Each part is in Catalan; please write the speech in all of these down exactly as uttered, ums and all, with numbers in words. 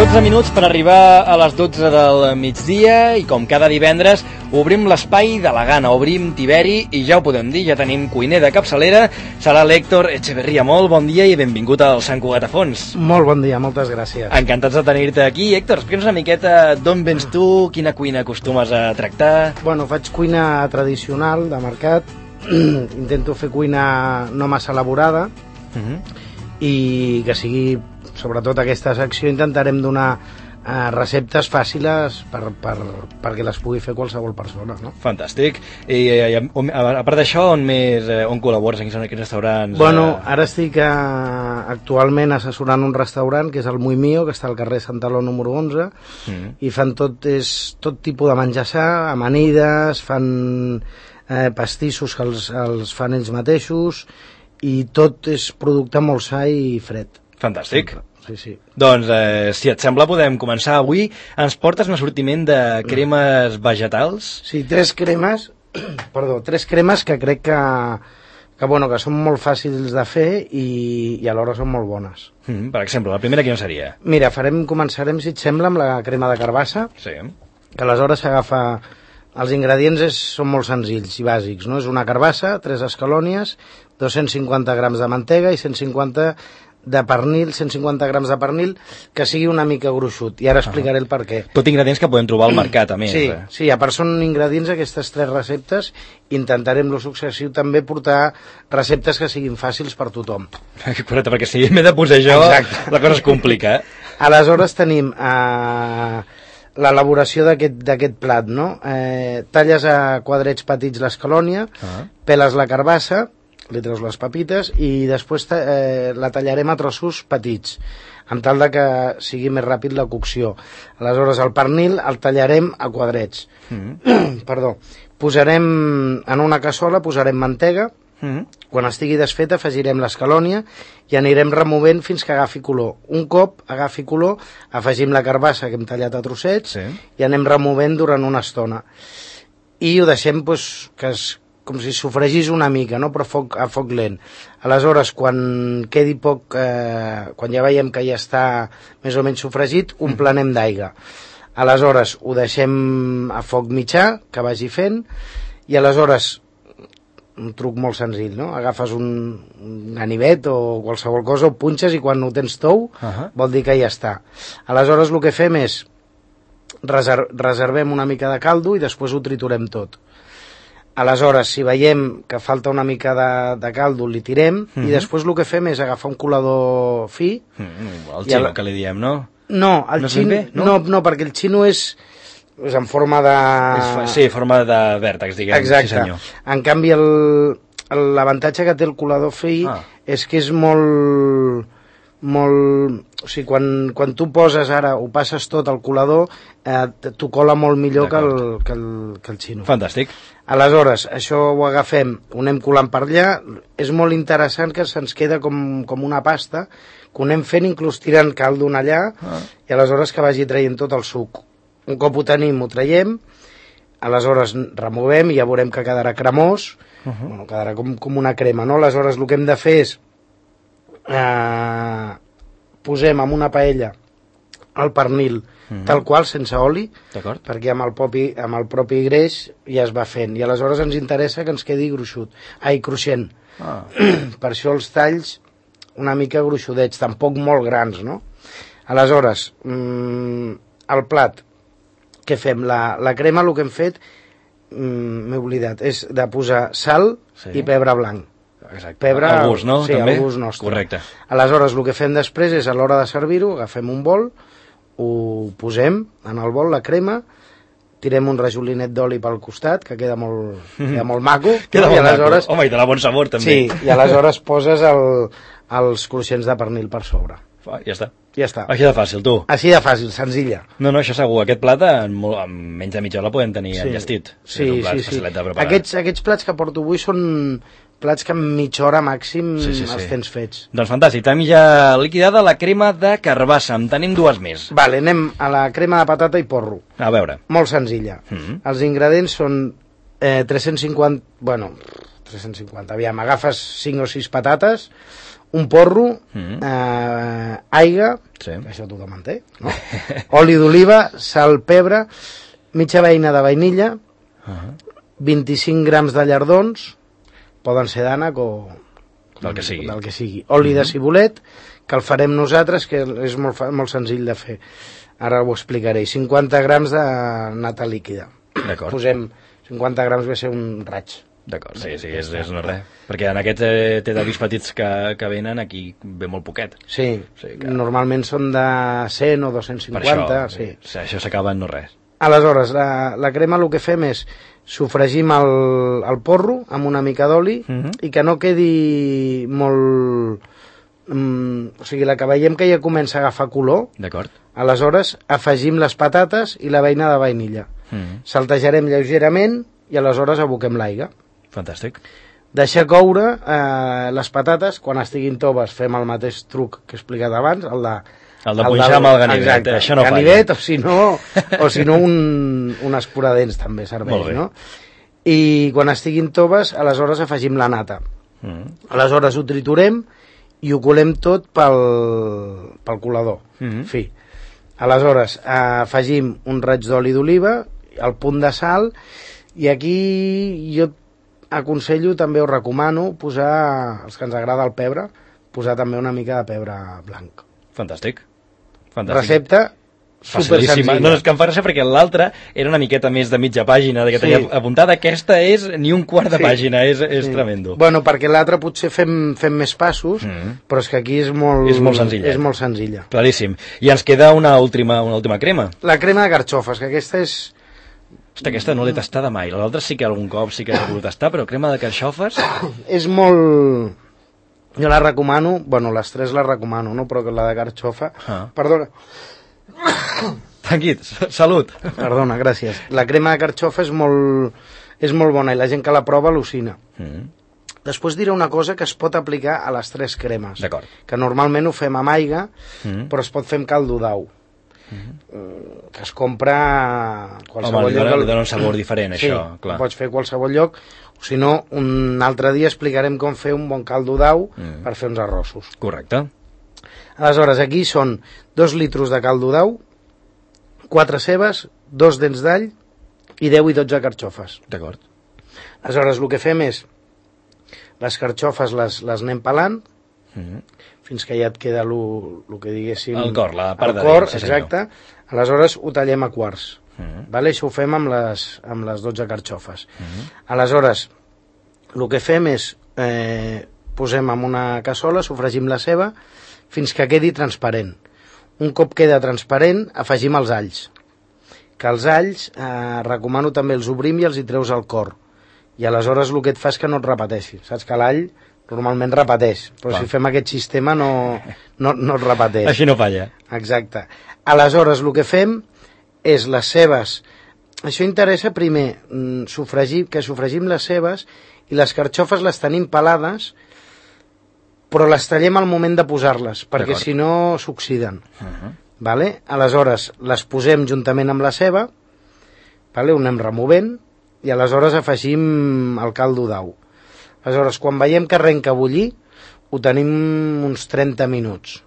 dotze minuts per arribar a les dotze del migdia i com cada divendres obrim l'espai de la gana, obrim Tiberi i ja ho podem dir, ja tenim cuiner de capçalera, serà l'Héctor Echeverría. Molt bon dia i benvingut al Sant Cugat a Fons. Molt bon dia, moltes gràcies. Encantats de tenir-te aquí. Héctor, explica'ns una miqueta d'on vens tu, quina cuina acostumes a tractar. Bueno, faig cuina tradicional de mercat, intento fer cuina no massa elaborada uh-huh. i que sigui, sobretot aquesta secció, intentarem donar eh, receptes fàcils per, per, perquè les pugui fer qualsevol persona, no? Fantàstic. I, i a, a part d'això, on més, eh, on col·labores? En quins restaurants? Bueno, ara estic eh, actualment assessorant un restaurant que és el Muy Mío, que està al carrer Santaló número onze, mm. i fan tot, és, tot tipus de menjassar, amanides, fan eh, pastissos que els, els fan ells mateixos, i tot és producte molt sa i fred. Fantàstic. Sí, sí. Doncs, eh, si et sembla, podem començar. Avui ens portes un assortiment de cremes vegetals? Sí, tres cremes, perdó, tres cremes que crec que, que, bueno, que són molt fàcils de fer i, i alhora són molt bones. Mm, per exemple, la primera quina seria? Mira, farem, començarem, si et sembla, amb la crema de carbassa, sí. que aleshores s'agafa... Els ingredients és, són molt senzills i bàsics, no? És una carbassa, tres escalònies, dos-cents cinquanta grams de mantega i cent cinquanta de pernil, cent cinquanta grams de pernil, que sigui una mica gruixut, i ara explicaré el per què. Tot ingredients que podem trobar al mercat, a més. Sí, eh? sí, a part són ingredients aquestes tres receptes, intentarem lo successiu també portar receptes que siguin fàcils per tothom. Correcte, perquè si m'he de posar jo, exacte, la cosa es complica. Eh? Aleshores tenim eh, l'elaboració d'aquest plat, no? Eh, talles a quadrets petits l'escalònia, uh-huh. peles la carbassa, li treus les papites i després eh, la tallarem a trossos petits, amb tal de que sigui més ràpid la cocció. Aleshores el pernil el tallarem a quadrets. Mm-hmm. Perdó. Posarem en una cassola, posarem mantega, mm-hmm. quan estigui desfeta afegirem l'escalònia i anirem removent fins que agafi color. Un cop agafi color afegim la carbassa que hem tallat a trossets, sí. i anem removent durant una estona. I ho deixem pues, que es com si sofregís una mica, no? Però a foc, a foc lent. Aleshores, quan quedi poc, eh, quan ja veiem que ja està més o menys sofregit, un planem d'aigua. Aleshores, ho deixem a foc mitjà, que vagi fent, i aleshores, un truc molt senzill, no? Agafes un, un ganivet o qualsevol cosa, ho punxes i quan ho tens tou, uh-huh. vol dir que ja està. Aleshores, el que fem és reser reservem una mica de caldo i després ho triturem tot. Aleshores, si veiem que falta una mica de, de caldo, li tirem, mm-hmm. i després el que fem és agafar un colador fi... Mm, el xino, el... que li diem, no? No, el no xino, no? No, no, perquè el xino és, és en forma de... És, sí, forma de vèrtex, diguem. Exacte. Sí, senyor. En canvi, l'avantatge que té el colador fi ah. és que és molt... molt... O sigui, quan, quan tu poses ara, ho passes tot al colador, eh, t'ho cola molt millor que el, que, el, que el xino. Fantàstic. Aleshores, això ho agafem, ho anem colant per allà, és molt interessant que se'ns queda com, com una pasta, que ho anem fent inclús tirant caldo allà, ah. i aleshores que vagi traient tot el suc. Un cop ho tenim, ho traiem, aleshores removem i ja veurem que quedarà cremós, uh -huh. bueno, quedarà com, com una crema, no? Aleshores el que hem de fer és eh, posem en una paella el pernil mm-hmm. tal qual, sense oli, perquè amb el, propi, amb el propi greix ja es va fent, i aleshores ens interessa que ens quedi gruixut, ai, cruixent. Ah. Per això els talls una mica gruixudets, tampoc molt grans, no? Aleshores, mmm, el plat, què fem? La, la crema, el que hem fet, mmm, m'he oblidat, és de posar sal sí. i pebre blanc. Exacte. Pebre, al gust, no? Sí, també? Al gust nostre. Correcte. Aleshores, el que fem després és, a l'hora de servir-ho, agafem un bol, ho posem en el bol, la crema, tirem un rajolinet d'oli pel costat, que queda molt, queda molt maco. Queda no? molt aleshores... maco. Home, i de la bon sabor, també. Sí, i aleshores poses el, els cruixents de pernil per sobre. Ja està. Ja està. Així de fàcil, tu. Així de fàcil, senzilla. No, no, això segur. Aquest plat en, en menys de mitja hora podem tenir sí. enllestit. Sí, sí, sí. Aquests, aquests plats que porto avui són plats que en mitja hora màxim sí, sí, sí. els tens fets. Doncs fantàstic. Tenim ja liquidada la crema de carbassa. En tenim dues més. Vale, anem a la crema de patata i porro. A veure. Molt senzilla. Mm-hmm. Els ingredients són eh, tres-cents cinquanta... Bueno, tres-cents cinquanta. Aviam, agafes cinc o sis patates, un porro, mm. eh, aigua, sí. això tothom en té, no? Oli d'oliva, sal, pebre, mitja beina de vainilla, uh-huh. vint-i-cinc grams de llardons, poden ser d'ànec o del que sigui, del que sigui. Oli uh-huh. de cibulet, que el farem nosaltres, que és molt, molt senzill de fer. Ara ho explicaré. cinquanta grams de nata líquida. D'acord. Posem cinquanta grams, ve ser un raig. D'acord, sí, sí, és, és no res. Perquè en aquests eh, té d'avís petits que, que venen, aquí ve molt poquet. Sí, sí que... normalment són de cent o dos-cents cinquanta. Per això, sí. sí, això s'acaba en no res. Aleshores, la, la crema el que fem és sofregim el, el porro amb una mica d'oli uh-huh. i que no quedi molt... Um, o sigui, la que veiem que ja comença a agafar color, d'acord. Aleshores afegim les patates i la beina de vainilla. Uh-huh. Saltejarem lleugerament i aleshores aboquem l'aigua. Fantàstic. Deixar coure eh, les patates, quan estiguin toves fem el mateix truc que he explicat abans, el de... El de punxar amb el ganivet, exacte, això no ganivet, falla. O si no, o si no un, un escuradents també serveix, no? I quan estiguin toves, aleshores afegim la nata. Mm. Aleshores ho triturem i ho colem tot pel, pel colador. Mm-hmm. En fi. Aleshores eh, afegim un raig d'oli d'oliva, el punt de sal, i aquí jo aconsello, també ho recomano, posar, els que ens agrada el pebre, posar també una mica de pebre blanc. Fantàstic. Fantàstic. Recepta super senzilla. No, és que em fa gràcia perquè l'altra era una miqueta més de mitja pàgina, que tenia sí. apuntada. Aquesta és ni un quart de sí. pàgina, és, és sí. tremendo. Bueno, perquè l'altra potser fem, fem més passos, mm. però és que aquí és molt, és molt senzilla. És molt senzilla. Claríssim. I ens queda una última, una última crema. La crema de carxofes, que aquesta és... Hosta, aquesta no l'he tastada mai. L'altra sí que algun cop sí que l'he pogut tastar, però crema de carxofes... És molt... Jo la recomano, bueno, les tres les recomano, no? Però que la de carxofa... Ah. Perdona. Tranquil, salut. Perdona, gràcies. La crema de carxofa és molt, és molt bona i la gent que la prova al·lucina. Mm. Després diré una cosa que es pot aplicar a les tres cremes. D'acord. Que normalment ho fem amb aigua, mm. però es pot fer amb caldo d'au. Mm-hmm. Que es compra a qualsevol Home, lloc. Home, li dona un sabor diferent, sí, això, clar. Pots fer a qualsevol lloc, o si no, un altre dia explicarem com fer un bon caldo d'au mm. per fer uns arrossos. Correcte. Aleshores, aquí són dos litros de caldo d'au, quatre cebes, dos dents d'all i deu i dotze carxofes. D'acord. Aleshores, el que fem és les carxofes les, les anem pelant, mm. fins que ja et queda el que diguéssim... El cor, la part de cor, dins, sí, exacte. Aleshores ho tallem a quarts. Mm. Vale? Això ho fem amb les, amb les dotze carxofes. Mm. Aleshores, el que fem és eh, posem en una cassola, sofregim la ceba fins que quedi transparent. Un cop queda transparent, afegim els alls. Que els alls, eh, recomano també els obrim i els hi treus al cor. I aleshores el que et fa és que no et repeteixi. Saps que l'all normalment repeteix, però Clar. Si fem aquest sistema no, no, no es repeteix. Així no falla. Exacte. Aleshores, el que fem és les cebes. Això interessa primer, sofregir, que sofregim les cebes i les carxofes les tenim pelades, però les tallem al moment de posar-les, perquè si no s'oxiden. Uh-huh. Vale? Aleshores, les posem juntament amb la ceba, vale? Ho anem removent, i aleshores afegim el caldo d'au. Aleshores, quan veiem que arrenca a bullir, ho tenim uns trenta minuts.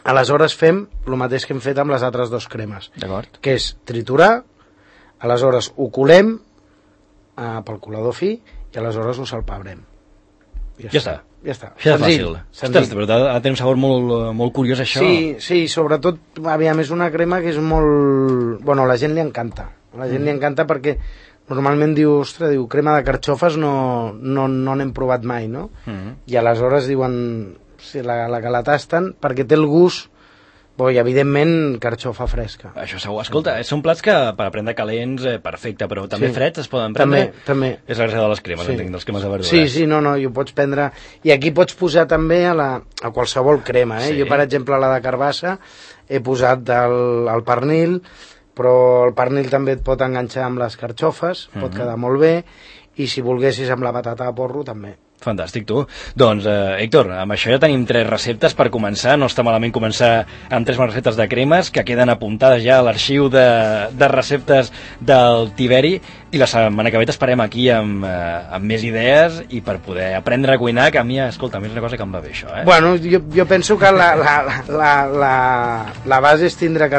Aleshores fem el mateix que hem fet amb les altres dues cremes, que és triturar, aleshores ho colem eh, pel colador fi i aleshores ho salpebrem. Ja, ja està. Ja està. Ja és fàcil. Ostres, però ha de tenir un sabor molt, molt curiós, això. Sí, sí, sobretot, aviam, és una crema que és molt... Bueno, a la gent li encanta. A la gent mm. li encanta perquè normalment diu, ostres, diu, crema de carxofes no no no n'hem provat mai, no? Mm. I aleshores diuen, sí, la, la que la tasten, perquè té el gust, bo, i evidentment carxofa fresca. Això segur. Escolta, són plats que per prendre calents, eh, perfecte, però també sí. freds es poden prendre? També, també. És la gràcia de les cremes, sí. entenc, dels cremes de verdures. Sí, sí, no, no, i ho pots prendre... I aquí pots posar també a, la, a qualsevol crema, eh? Sí. Jo, per exemple, la de carbassa he posat el, el pernil, però el pernil també et pot enganxar amb les carxofes, uh-huh. pot quedar molt bé, i si volguessis amb la patata de porro també. Fantàstic, tu. Doncs, eh, Héctor, amb això ja tenim tres receptes per començar. No està malament començar amb tres receptes de cremes que queden apuntades ja a l'arxiu de, de receptes del Tiberi, i la setmana que ve t'esperem aquí amb, eh, amb més idees i per poder aprendre a cuinar, que a mi, escolta, a mi és una cosa que em va bé, això, eh? Bueno, jo, jo penso que la, la, la, la, la base és tindre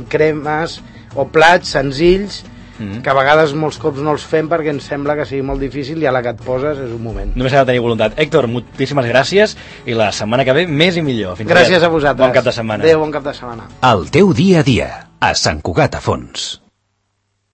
cremes o plats senzills, Mm-hmm. que a vegades molts cops no els fem perquè ens sembla que sigui molt difícil i a la que et poses és un moment. Només ha de tenir voluntat. Héctor, moltíssimes gràcies i la setmana que ve més i millor. Fins gràcies a vosaltres. Bon cap de setmana. Adéu, bon cap de setmana. El teu dia a dia, a Sant Cugat a Fons.